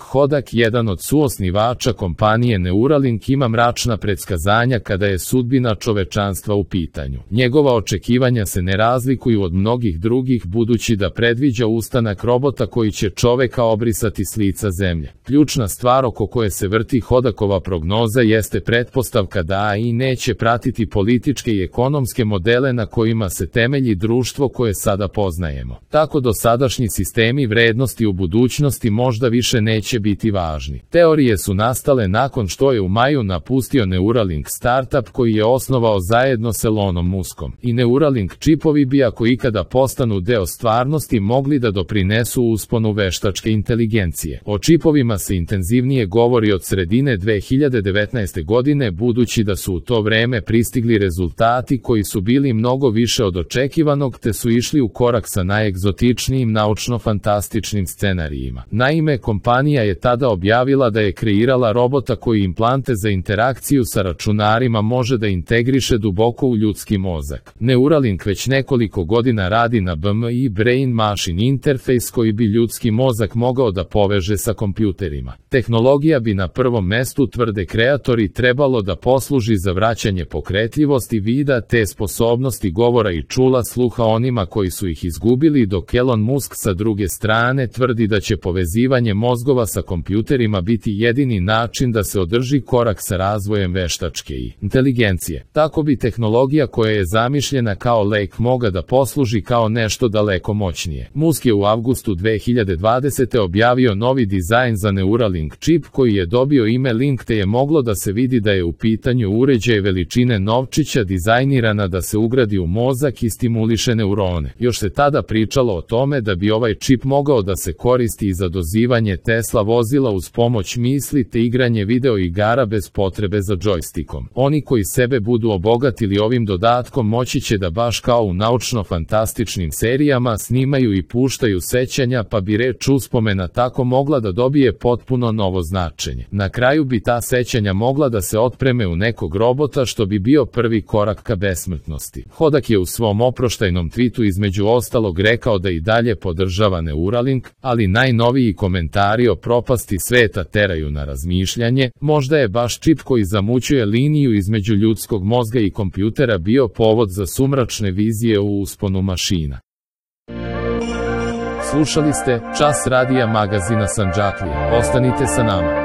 Hodak, jedan od suosnivača kompanije Neuralink, ima mračna predskazanja kada je sudbina čovečanstva u pitanju. Njegova očekivanja se ne razlikuju od mnogih drugih, budući da predviđa ustanak robota koji će čoveka obrisati s lica zemlje. Ključna stvar oko koje se vrti Hodakova prognoza jeste pretpostavka da AI neće pratiti političke i ekonomske modele na kojima se temelji društvo koje sada poznajemo. Tako dosadašnji sistemi vrednosti u budućnosti možda više neće biti važni. Teorije su nastale nakon što je u maju napustio Neuralink startup koji je osnovao zajedno s Elonom Muskom. I Neuralink čipovi bi, ako ikada postanu deo stvarnosti, mogli da doprinesu usponu veštačke inteligencije. O čipovima se intenzivnije govori od sredine 2019. godine, budući da su u to vreme pristigli rezultati koji su bili mnogo više od očekivanog, te su išli u korak sa najegzotičnijim naučno-fantastičnim scenarijima. Naime, kompanija je tada objavila da je kreirala robota koji implante za interakciju sa računarima može da integriše duboko u ljudski mozak. Neuralink već nekoliko godina radi na BMI Brain Machine Interface koji bi ljudski mozak mogao da poveže sa kompjuterima. Tehnologija bi na prvom mestu, tvrde kreatori, trebalo da posluži za vraćanje pokretljivosti vida te sposobnosti govora i čula sluha onima koji su ih izgubili, dok Elon Musk sa druge strane tvrdi da će povezivanje mozgova sa kompjuterima biti jedini način da se održi korak sa razvojem veštačke inteligencije. Tako bi tehnologija koja je zamišljena kao lek mogla da posluži kao nešto daleko moćnije. Musk je u avgustu 2020. objavio novi dizajn za Neuralink čip koji je dobio ime Link, te je moglo da se vidi da je u pitanju uređaj veličine novčića dizajnirana da se ugradi u mozak i stimuliše neurone. Još se tada pričalo o tome da bi ovaj čip mogao da se koristi i za dozivanje Tesla vozila uz pomoć misli te igranje video igara bez potrebe za džojstikom. Oni koji sebe budu obogatili ovim dodatkom moći će da baš kao u naučno-fantastičnim serijama snimaju i puštaju sećanja, pa bi reč uspomena tako mogla da dobije potpuno novo značenje. Na kraju bi ta sećanja mogla da se otpreme u nekog robota, što bi bio prvi korak ka besmrtnosti. Hodak je u svom oproštajnom twitu između ostalog rekao da i dalje podržava Neuralink, ali najnoviji komentari o propasti sveta teraju na razmišljanje. Možda je baš čip koji zamućuje liniju između ljudskog mozga i kompjutera bio povod za sumračne vizije u usponu mašina. Slušali ste Čas radija magazina Sandžaklija. Ostanite sa nama.